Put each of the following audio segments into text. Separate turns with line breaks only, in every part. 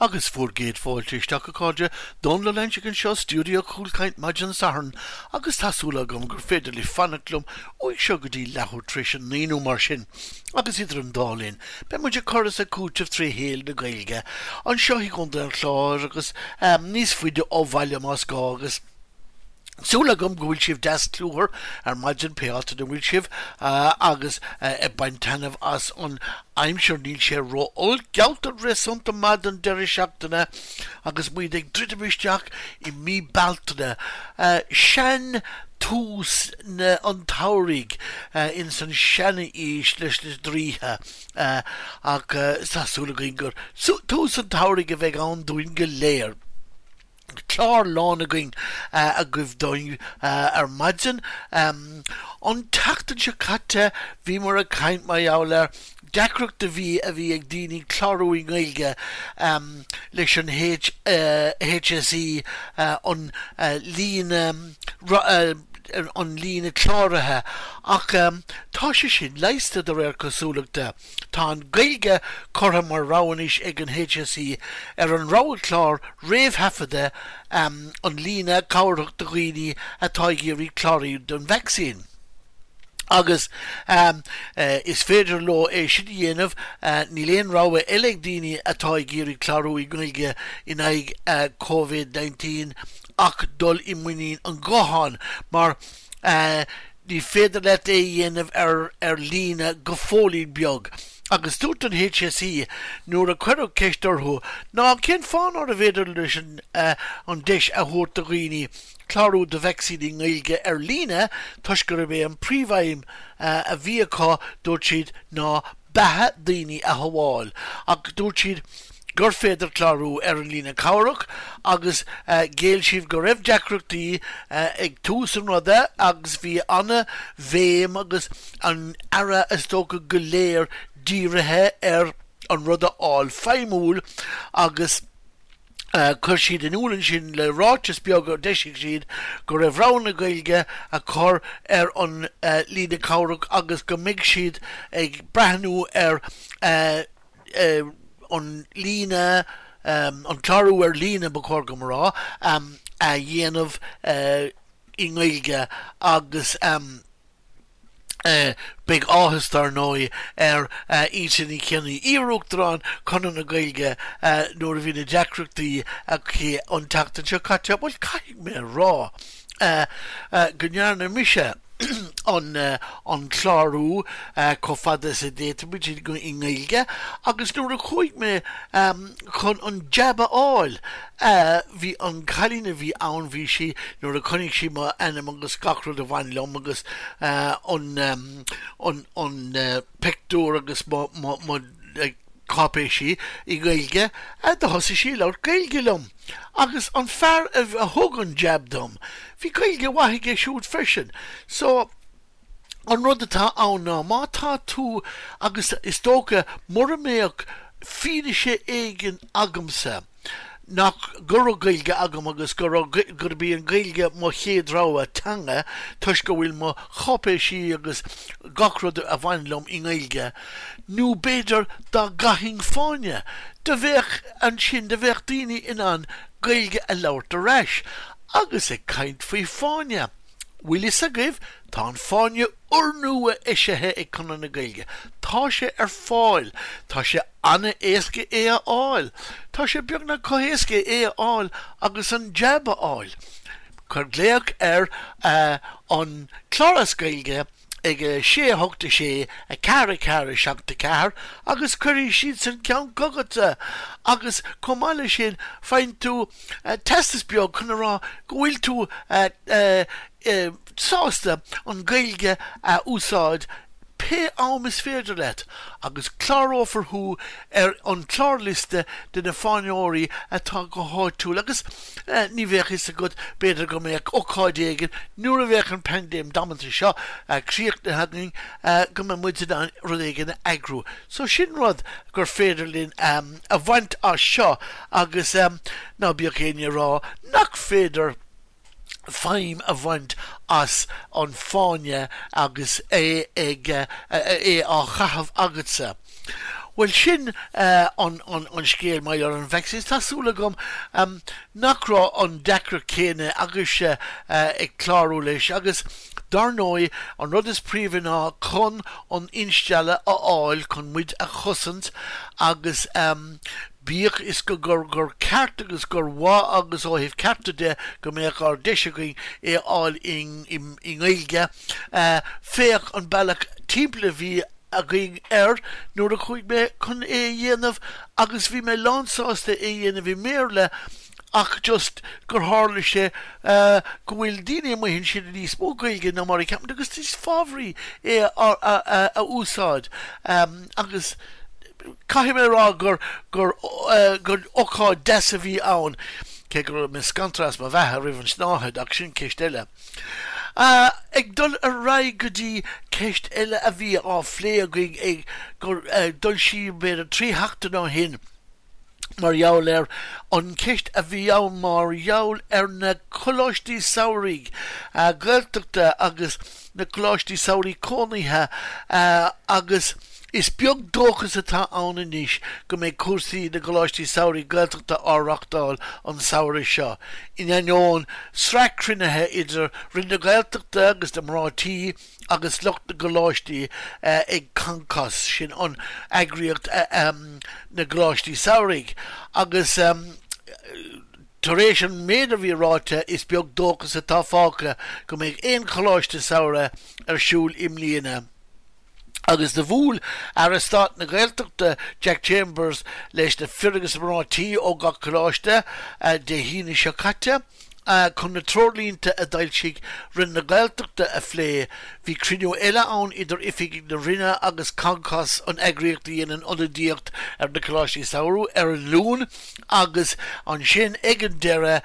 Agus bhur gcéad fáilte isteach, a chairde, Dónal Ó Loingsigh anseo, Stiúideo Chúlchaint maidin Sathairn, agus tá súil agam gur féidir libh fanacht liom uaidh seo go dtí leathuair tar éis a naoi nó mar sin. Agus idir an dá linn, beidh muid ag cur is ag cúiteamh tré shaol na Gaeilge, anseo i gContae an Chláir agus níos faide ó bhaile más gá, agus. Súil agam go bhfuil sibh deas cluthar ar maidin pé áit ina bhfuil sibh agus ag baint taitneamh as an aimsir. Níl sé ró-olc, gealltar réasúnta maith don deireadh seachtaine agus muid ag druidim isteach i mí Bealtaine, sean tús na an tsamhraidh ins an seanaois leis na draoithe ach tá súil againn gur tús an tsamhraidh a bheidh ann dúinn go léir. Clár lán againn agaibh dúinn ar maidin. An tseachtain seo caite bhíomar ag caint mar gheall ar deacracht a bhí a bhí ag daoine clárú i nGaeilge leis an HSE an líne an líne cláraithe ach tá sé sin leigheasta de réir cosúlachta. Tá an Ghaeilge curtha mar rogha anois ag an HSE ar an roghchlár réamhthaifeadta an líne cabhrach do dhaoine atá ag iarraidh clárú don vacsaín. Agus is féidir leo é sin a dhéanamh, níl aon rogha eile ag daoine atá ag iarraidh clárú i nGaeilge in aghaidh Covid-19 ach dul i muinín an ghutháin mar Ní féidir leat é a dhéanamh ar ar líne go fóillín beag. Agus dúirt an HSE nuair a cuireadh ceist orthu ná cén fáth nárbh fhéidir leis an an deis a thabhairt do dhaoine clárú do vacsaín i nGaeilge ar líne toisc gurb é an príomhaidhm a bhí acu, dúirt siad, ná beatha daoine a shábháil. Ach dúirt siad gur féidir clárú ar an líne cabhrach agus ghéill siad go raibh deacrachtaí ag tús an ruda agus bhí ana-bhéim agus an aire is dócha go léir dírithe ar an rud a fháil feidhmiúil agus Chuir siad in iúl ansin le ráiteas beag a d'eisigh siad go raibh rogha na Gaeilge á cur ar an líne cabhrach agus go mbeidh siad ag breathnú ar an líne, an clárú ar líne ba chóir dom a rá, a dhéanamh i nGaeilge agus. Beidh áthas, dar ndóigh, ar Íte Ní Chionnaith, iar-Uachtarán Chonradh na Gaeilge, nuair a bhí na deacrachtaí aici an tseachtain seo caite. Bhuel, caithfidh mé a rá go ndearna mise an clárú chomh fada is a d'fhéadfaimid i nGaeilge agus nuair a chuaigh mé chun an jab a fháil. Bhí an cailín a bhí ann, bhí sí, nuair a chonaic sí m'ainm agus gach rud a bhain liom agus an, an, an pictiúr agus mo, mo, mo cáipéisí i nGaeilge, do thosaigh sí ag labhairt Gaeilge liom. Agus an fear a thug an jab dom, bhí Gaeilge mhaith aige siúd freisin. So. An rud atá ann ná má tá tú, agus is dócha mura mbeadh fianaise éigin agamsa nach, go raibh Gaeilge agam agus go raibh, gurb í an Ghaeilge mo chéad rogha teanga toisc go bhfuil mo cháipéisí agus gach rud a bhain liom i nGaeilge, nó b'fhéidir dá gcaithfinn fáinne, do bheadh, ansin, do bheadh daoine in ann Gaeilge a labhairt ar ais. Agus ag caint faoi fáinne. Bhfuil fhios agaibh, tá an fáinne úrnua eisithe ag Conradh na Gaeilge. Tá sé ar fáil. Tá sé an-éasca é a fháil. Tá sé beagnach chomh héasca é a fháil agus an jab a fháil. Cuir glaoch ar an Clár as Gaeilge ag 6 8 6 4 4 7 4 agus cuirfidh siadsan ceann chugatsa agus chomh maith leis sin faigheann tú teastas beag chun a rá go bhfuil tú sásta an Ghaeilge a úsáid pé am is féidir leat agus clárófar thú ar an chlárliosta de na fáinneoirí atá go háitiúil agus ní bheadh fhios agat, b'fhéidir go mbeadh ócáid éigin nuair a bheadh an paindéim damanta seo críochnaithe againn go mbeidh muid in ann rud éigin a eagrú. So sin rud gur féidir linn a bhaint as seo agus ná bíodh éinne ag rá nach féidir feidhm a bhaint as an fáinne agus é ag é á chaitheamh agatsa. Bhuel sin an scéal mar gheall ar an vacsaín. Tá súil agam nach raibh an deacracht céanna agaibhse ag clárú leis agus dar ndóigh an rud is príomha ná chun an instealladh a fháil chun muid a chosaint agus bíodh is go gur gur ceart agus gur mhaith agus ó thaobh cearta de go mbeadh ár deis againn é a fháil i nGaeilge féach an bealach timpeall a bhí againn air nuair a chuaigh mé chun é a dhéanamh agus bhí mé lánsásta é a dhéanamh i mBéarla ach just gur tharla sé go bhfuil daoine amuigh ansin i níos mó Gaeilge ná mar a cheapaimid agus is fabhraí é a úsáid agus caithfidh mé a rá gur gur gur ócáid deas a bhí ann cé go raibh mé scanraithe as mo bheatha roimh an tsnáthaid ach sin ceist eile. Ag dul ar aghaidh go dtí ceist eile a bhí á phlé againn ag gur dul siar b'fhéidir 3 sheachtain ó shin mar gheall ar an cheist a bhí ann mar gheall ar na coláistí samhraidh Gaeltachta agus na coláistí samhraidh cónaithe agus Is beag dóchas atá ann anois go mbeidh cúrsaí na gcoláistí samhraidh Gaeltachta á reáchtáil an samhradh seo, in ainneoin sraith cruinnithe idir Roinn na Gaeltachta agus na mná tí agus lucht na gcoláistí ag Concos, sin an eagraíocht na gcoláistí samhraidh, agus tar éis an méid a bhí ráite is beag dóchas atá fágtha go mbeidh aon choláiste samhraidh ar siúl i mbliana. Agus do bhuail Aire Stáit na Gaeltachta Jack Chambers leis na fir agus mná tí ó gach coláiste Dé hAoine seo caite chun na treoirlínte a d'fhoilsigh Roinn na Gaeltachta a phlé. Bhí cruinniú eile ann idir oifigigh na Roinne agus Concos, an eagraíocht a dhéanann ionadaíocht ar na coláistí samhraidh, ar an Luan agus ansin ag an deireadh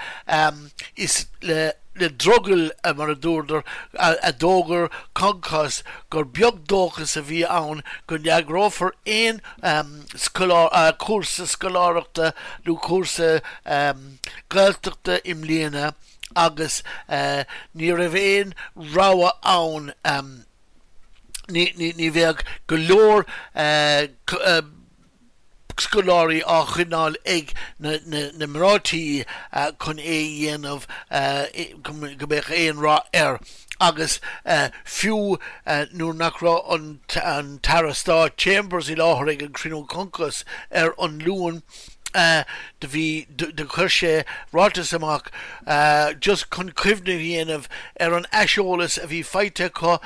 is le le drogall, mar a dúradar, a d'fhógair Concos gur beag dóchas a bhí ann go n-eagrófar aon chúrsa scoláireachta nó cúrsa Gaeltachta i mbliana agus ní raibh aon rogha ann, ní bheadh go leor scoláirí á choinneáil ag na mná tí chun é a dhéanamh go mbeadh aon rath air agus fiú nuair nach raibh an tAire Stáit Chambers i láthair ag an chruinniú Concos ar an Luan do bhí do chuir sé ráiteas amach just chun cuimhne a dhéanamh ar an aiseolas a bhí faighte acu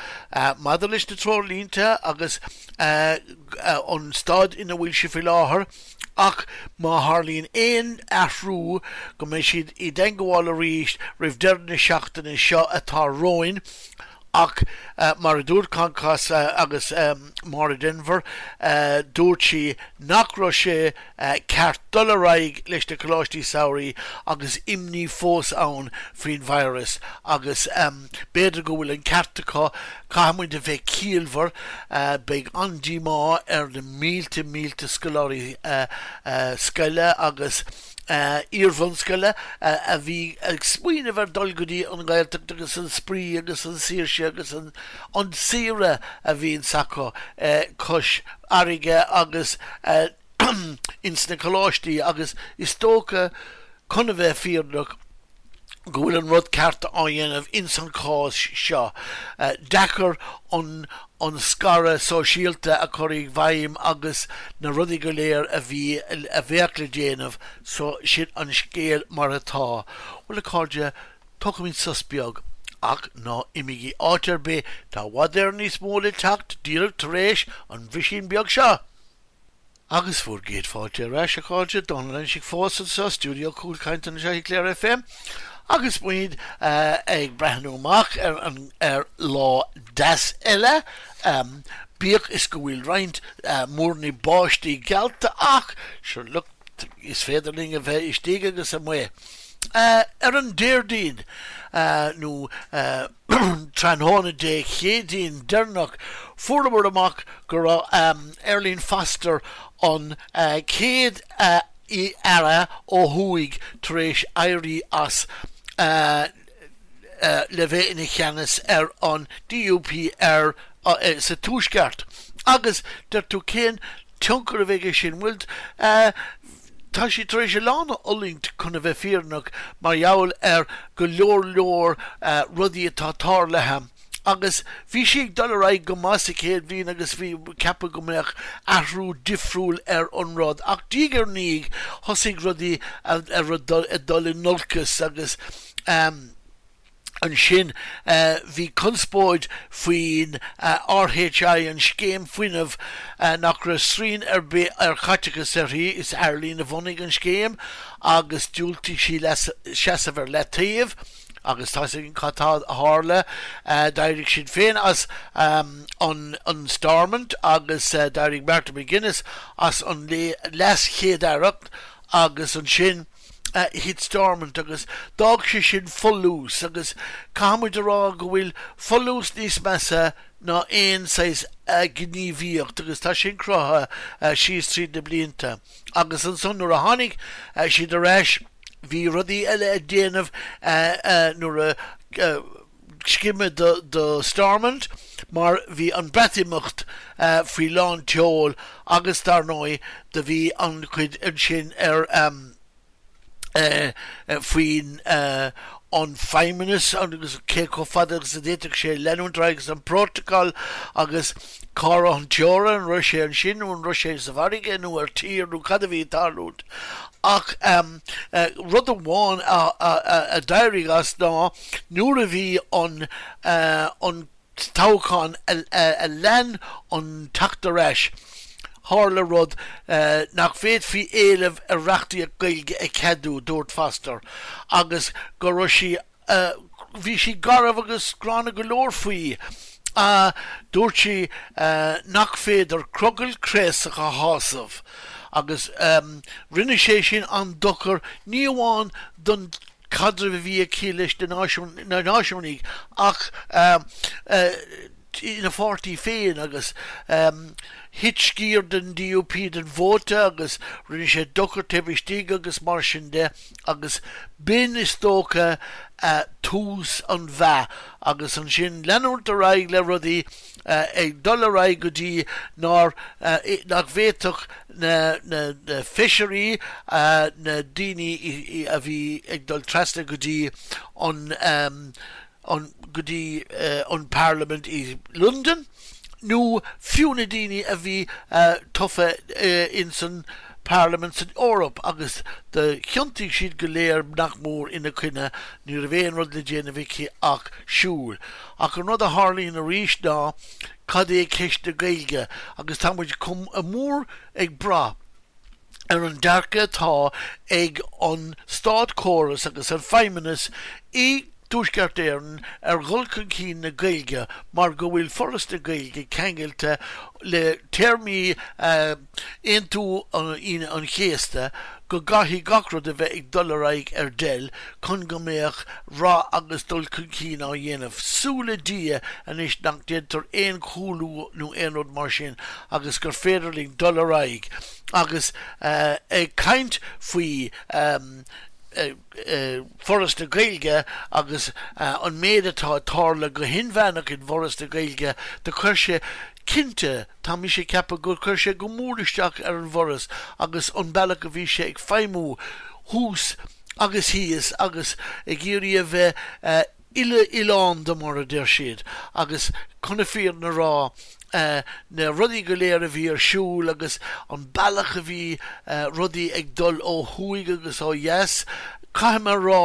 maidir leis na treoirlínte agus an staid ina bhfuil sé faoi láthair ach má tharlaíonn aon athrú go mbeidh siad i dteangmháil arís roimh deireadh na seachtaine seo atá romhainn ach mar a dúirt Concos agus Máire Denvir, dúirt sí nach raibh sé ceart dul ar aghaidh leis na coláistí samhraidh agus imní fós ann faoin virus agus b'fhéidir go bhfuil an ceart acu, caithfidh muid a bheith ciallmhar, beidh an-díomá ar na mílte mílte scoláirí scoile agus iarbhunscoile a bhí ag smaoineamh ar dul go dtí an Ghaeltacht agus an spraoi agus an saoirse agus an saoire a bhíonns acu cois fharraige agus ins na coláistí agus is dócha, chun a bheith fírinneach, go bhfuil an rud ceart á dhéanamh ins an chás seo. Deacair an an scaradh sóisialta a chur i bhfeidhm agus na rudaí go léir a bhí a bheadh le déanamh so sin an scéal mar atá. Bhuel a chairde, tógfaimid sos beag ach ná imígí áit ar bith, tá i bhfad Éireann níos mó le teacht díreach tar éis an bhrisín beag seo! Agus bhur gcéad fáilte ar ais, a chairde, Dónal Loingsigh fós anseo, Stiúideo Cúl Cainte anseo i Clare FM, agus muid ag breathnú amach ar an ar lá deas eile, bíodh is go bhfuil roinnt múrnaí báistí geallta ach, sure look, is féidir linn a bheith istigh agus amuigh. Ar an Déardaoin, nó tráthnóna Dé Céadaoin deireanach, fuaireamar amach go raibh Arlene Foster, an chéad Aire ó thuaidh tar éis éirí as le bheith ina cheannas ar an DUP ar sa Tuaisceart. Agus deir tú cén. tionchar a bheidh aige sin? Bhuel, tá sí tar éis a lán a fhulaingt chun a bheith fírinneach mar gheall ar go leor leor rudaí atá tarlaithe agus bhí sí ag dul ar aghaidh go maith sa chéad bhliain agus bhí ceapadh go mbeadh athrú difriúil ar an rud ach diaidh ar ndiaidh thosaigh rudaí ag dul in olcas agus Ansin bhí conspóid faoin RHI, an scéim fuinnimh nach raibh srian ar bith ar chaiteachas uirthi. Is Arlene a bhunaigh an scéim agus diúltaigh sí seasamh ar leataobh agus tá's againn cad tá a tharla. D'éirigh Sinn Féin as an Stormont agus d'éirigh Martin McGuinness as an leas-chéad-aireacht agus ansin, Thit Stormont agus d'fhág sé sin folús agus caithfidh muid a rá go bhfuil folús níos measa ná aon saghas gníomhaíocht agus tá sin cruthaithe síos tríd na blianta. Agus ansan nuair a tháinig siad ar ais bhí rudaí eile a déanamh nuair a scimeadh do Stormont mar bhí an Breatimeacht faoi lán tseoil agus dar ndóigh do bhí an chuid ansin ar faoin an Feidhmeannas agus cé chomh fada agus a d'fhéadfadh sé leanúint ar aghaidh agus an Protocol agus cá raibh an teorainn, an raibh sé ansin nó an raibh sé sa bhfarraige nó ar tír nó cad a bhí ag tarlúint. Ach rud amháin a d'éirigh as ná nuair a bhí an an toghchán a lean an teacht ar ais, tharla rud nach bhféadfaí éileamh ar reachtaíocht Gaeilge a cheadú, dúirt Foster, agus go raibh sí Bhí sí garbh agus gránna go leor faoi. Dúirt sí nach féidir crogall craosach a shásamh agus rinne sé sin an-dochar ní amháin don chaidreamh a bhí aici leis na náisiúnaigh ach ina pháirtí féin agus thit sciar den DUP den vóta agus rinne sé dochar taobh istigh agus mar sin de agus b'in is dócha tús an mheath agus ansin leanúint ar aghaidh le rudaí ag dul ar aghaidh go dtí nár nach bhféadfadh na na feisirí na daoine a bhí ag dul trasna go dtí an an go dtí an Parlaimint i Londain nó fiú na daoine a bhí tofa ins an Parlaimint san Eoraip agus do thiontaigh siad go léir nach mór ina coinne, ní raibh aon rud le déanamh aici ach siúl. Ach an rud a tharlaíonn arís ná cad é ceist na Gaeilge agus tá muid chomh mór ag brath ar an dearcadh atá ag an státchóras agus an Feidhmeannas i dTuaisceart Éireann ar dhul chun cinn na Gaeilge mar go bhfuil Foras na Gaeilge ceangailte le téarmaí Aontú Aoine an Chéasta go gcaithfidh gach rud a bheith ag dul ar aghaidh ar deil chun go mbeadh rath agus dul chun cinn á dhéanamh. Súil le Dia anois nach ndéantar aon chúlú nó aon rud mar sin agus gur féidir linn dul ar aghaidh agus ag caint faoi Foras na Gaeilge agus an méid atá ag tarlú go hinmheánach in bhForas na Gaeilge, do chuir sé, cinnte, tá mise ag ceapadh gur chuir sé go mór isteach ar an bhForas agus an bealach a bhí sé ag feidhmiú thuas agus thíos agus ag iarraidh a bheith uile-oileánda mar a deir siad agus chun na fírinne a rá na rudaí go léir a bhí ar siúl agus an bealach a bhí rudaí ag dul ó thuaidh agus ó dheas, caithfidh mé a rá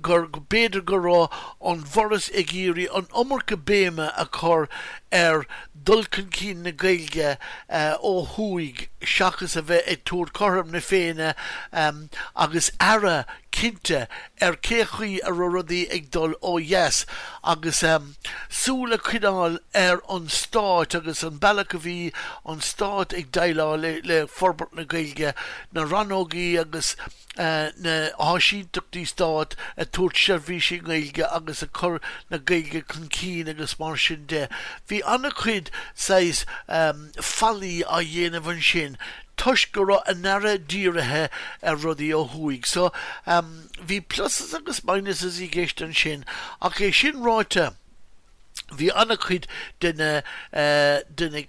gur b'fhéidir go raibh an bhForas ag iarraidh an iomarca béime a chur ar dul chun cinn na Gaeilge ó thuaidh seachas a bheith ag tabhairt cothrom na Féinne agus aire cinnte ar cé chaoi a raibh rudaí ag dul ó dheas agus súil a choinneáil ar an stát agus an bealach a bhí an stát ag déileáil le forbairt na Gaeilge, na rannógaí agus na háisínteachtaí stáit ag tabhairt seirbhísí Gaeilge agus ag cur na Gaeilge chun cinn agus mar sin de. Bhí an-chuid saghas faillí á dhéanamh ansin toisc go raibh a n-aire dírithe ar rudaí ó thuaidh. So, bhí pluses agus minuses i gceist ansin ach é sin ráite, bhí an-chuid de na de na.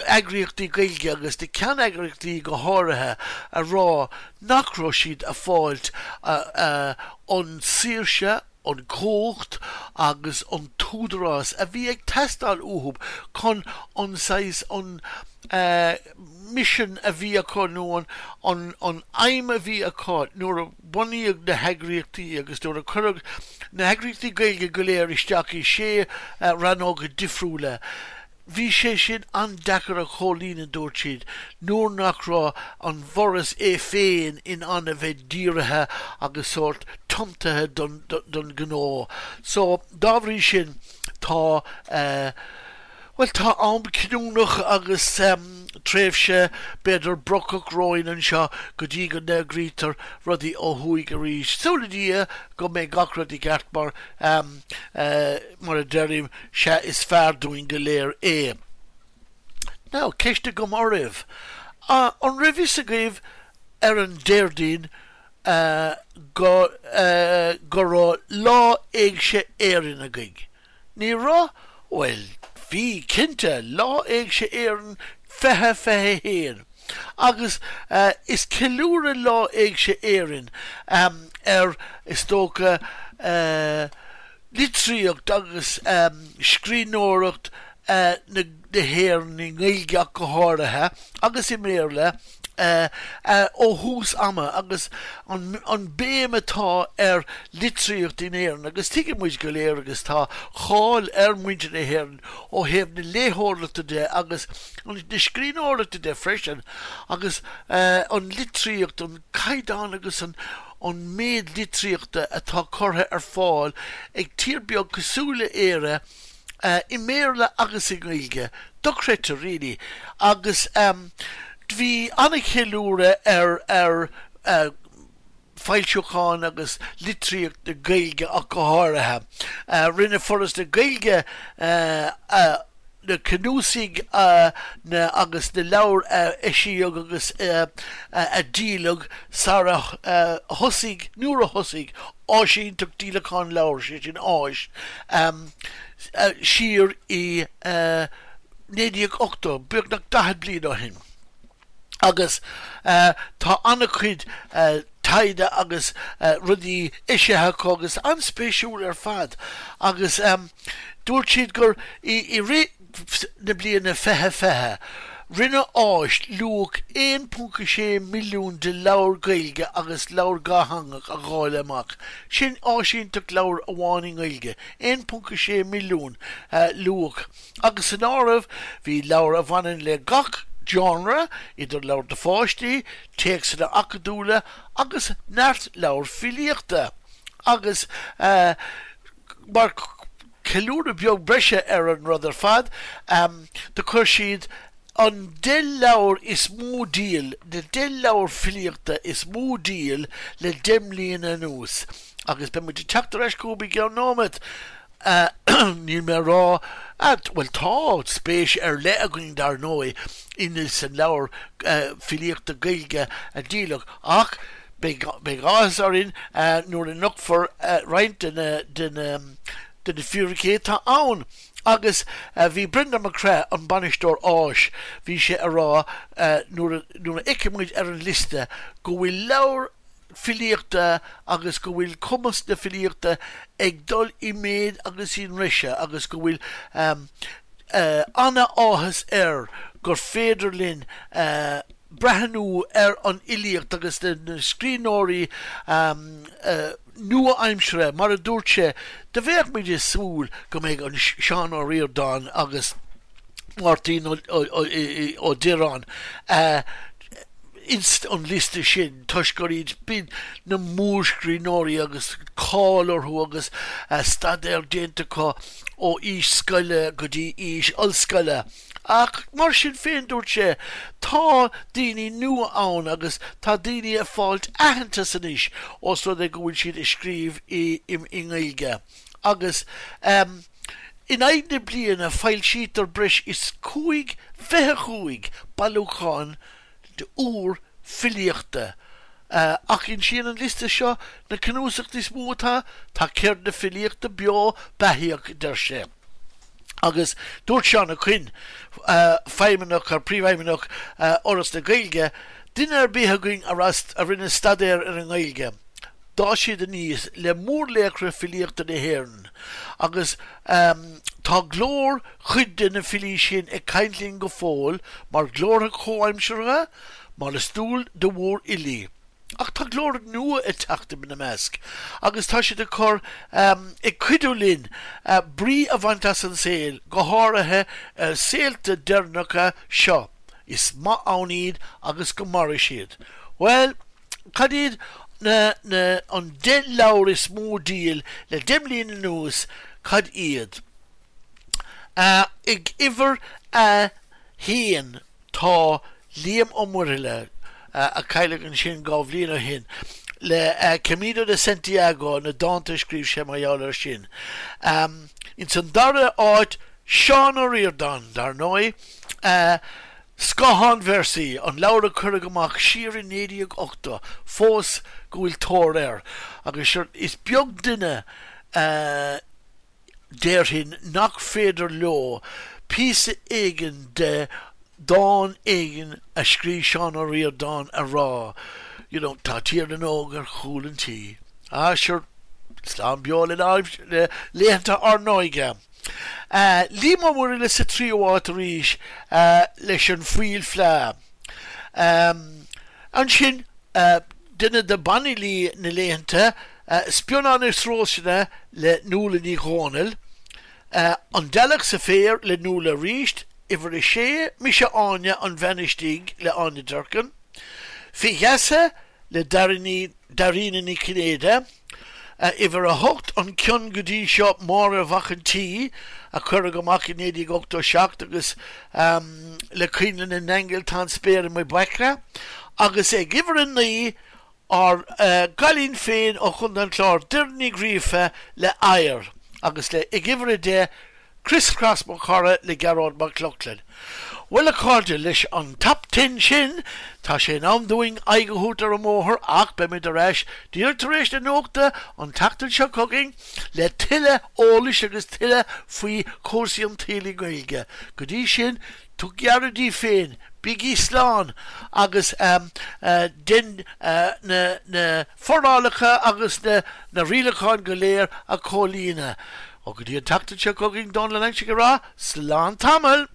eagraíochtaí Gaeilge agus na ceanneagraíochtaí go háirithe a rá nach raibh siad a' fáilt an saoirse, an cumhacht agus an t-údarás a bhí ag teastáil uathub chun an saghas, an misean a bhí acu nó an an aidhm a bhí acu nuair a bunaíodh na heagraíochtaí agus nuair a cuireadh na heagraíochtaí Gaeilge go léir isteach i sé rannóga difriúla. Bhí sé sin an-deacair a chomhlíonadh, dúirt siad, nuair nach raibh an bhForas é féin in ann a bheith dírithe agus sórt tiomtaithe don don ghnó. So, dá bhrí sin, tá, eh, bhuel, tá am cinniúnach agus tréimhse b'fhéidir brocach romhainn anseo go dtí go n-eagraítear rudaí ó thuaidh arís. Súil le Dia go mbeidh gach rud i gceart mar, eh, Mar a deirim, sea is fearr dúinn go léir é. Now, ceist agam oraibh. An raibh fhios agaibh ar an Déardaoin go go raibh Lá Éigse Éireann againn? Ní raibh? Bhuel, bhí, cinnte, Lá Éigse Éireann 2021. Agus is ceiliúradh Lá Éigse Éireann ar, is dócha, litríocht agus scríbhneoireacht na hÉireann, i nGaeilge ach go háirithe, agus i mBéarla, ó thús ama agus an béim atá ar litríocht in Éirinn agus tuigeann muid go léir agus tá cáil ar mhuintir na hÉireann ó thaobh na léitheoireachta de agus na scríbhneoireachta de freisin agus an litríocht, an caighdeán agus an an méid litríochta atá curtha ar fáil ag tír beag cosúil le Éire i mBéarla agus i nGaeilge, dochreidte really. Agus bhí an-cheiliúradh ar ar foilseacháin agus litríocht na Gaeilge ach go háirithe. Rinne Foras na Gaeilge na cnuasaigh na agus na leabhair a eisíodh agus a díoladh sara thosaigh, nuair a thosaigh áisínteacht díolacháin leabhar, sé sin áis, siar i 1980, beagnach 40 bliain ó shin. Agus tá an-chuid taighde agus rudaí eisithe acu agus an-spéisiúil ar fad. Agus dúirt siad gur i rith na bliana 2020, rinne áis luach 1.6 milliún de leabhair Gaeilge agus leabhar dhátheangach a dháileadh amach. Sin áisínteacht leabhar amháin i nGaeilge, 1.6 milliún luach. Agus san áireamh bhí leabhair a bhaineann le gach genre, idir leabhair do pháistí, téacsanna acadúla agus neart leabhar filíochta. Agus mar cheiliúradh beag breise ar an rud ar fad, do chuir siad an 10 leabhar is mó díol, na 10 leabhar filíochta is mó díol le 10 mbliana anuas. Agus beidh muid ag teacht ar ais chugaibh i gceann nóiméad. Níl mé a rá, bhuel tá spéis ar leith againn dar ndóigh in san leabhar filíochta Gaeilge a díoladh ach beidh áthas orainn nuair a nochtfar roinnt de na de na de na fíricí atá ann. Agus bhí Brendan MacCraith, an bainisteoir áis, bhí sé a rá nuair a nuair a fheicfidh muid ar an liosta go bhfuil leabhar filíochta agus go bhfuil cumas na filíochta ag dul i méid agus i ndreise agus go bhfuil ana-áthas air gur féidir linn breathnú ar an fhilíocht agus na scríbhneoirí nua-aimsire, mar a dúirt sé, do bheadh muid ag súil go mbeidh an Seán Ó Ríordáin agus Máirtín Ó Direáin ins an liosta sin toisc gur iad b'in na mórscríbhneoirí agus cáil orthu agus staidéar déanta acu ó aois scoile go dtí aois ollscoile. Ach mar sin féin, dúirt sé, tá daoine nua ann agus tá daoine ag fáilt aitheantas anois ós rud é go bhfuil siad ag scríobh i nGaeilge. Agus in aghaidh na bliana foilsítear breis is 5 25 bailiúchán úr filíochta. Ach insíonn an liosta seo na cnuasacht is mó atá, tá ceird na filíochta beo beathaíoch, deir sé. Agus dúirt Seán Ó Coinn, feidhmeannach, príomhfheidhmeannach Fhoras na Gaeilge, Duine ar bith againn a a rinne staidéar ar an nGaeilge, d'fhás siad aníos le mórlaochra filíochta na hÉireann agus tá glór chuid de na filí sin ag caint linn go fóill mar ghlórtha comhaimseartha, mar is dual do mhórfhilí. Ach tá glórtha nua ag teacht ina measc agus tá siad ag cur, ag cuidiú linn brí a bhaint as an saol, go háirithe ar saolta deireanacha seo. Is maith ann iad agus go maire siad. Bhuel, cad iad na, na, an 10 leabhar is mó díol le 10 mbliana anuas, cad iad? Ag uimhir a haon. Tá Liam Ó Muirthile, a cailleadh ansin 2 bhliain ó shin, le Camino de Santiago, na dánta a scríobh sé mar gheall air sin. Ins an dara áit, Seán Ó Ríordáin, dar ndóigh, Scáthánvéarsaí, an leabhar a cuireadh amach siar i 1980, fós go bhfuil tóir air. Agus is beag duine a. déarfainn nach féidir leo píosa éigin de dhán éigin a scríobh Seán Ó Ríordáin a rá, you know, tá Tír na nÓg ar chúl an tí. Ah, sure, slán beo le laethanta ár n-óige. Liam Ó Muirthile sa tríú háit arís leis An Fuíoll Fleá. Ansin, duine de banfhilí na laethanta, Spíonán is Rósanna le Nuala Ní Dhomhnaill, An Dealg sa Féar le Nuala arís, Uimhir a Sé, Mise Áine, An Bhean Istigh le Áine Durkin, Fé Gheasa le Dairena Ní Chinnéide, Uimhir a hOcht, An Ceann go dtí seo, Máire Mhac an tSaoi, a cuireadh amach i 1987 agus le Coinnle na nAingeal Tá an Spéir i mo Bhaicle, agus ag uimhir a 9, ár gcailín féin ó Chontae an Chláir, Doireann Ní Ghríofa le Oighear, agus le ag uimhir a 10, Crios Cras Mo Chara le Gearóid Mac Lochlainn. Bhuel a chairde, leis an Top Ten sin, tá sé in am dúinn aghaidh a thabhairt ar an mbóthar ach beimid ar ais díreach tar éis na nuachta an tseachtain seo chugainn le tuilleadh eolais agus tuilleadh faoi chúrsaí an tsaoil i nGaeilge. Go dtí sin, tugaigí aire daoibh féin, bígí slán agus dein na forálacha agus na rialacháin go léir a chomhlíonadh. Ó go dtí an tseachtain seo chugainn, Dónal Ó Loingsigh ag rá, slán tamall!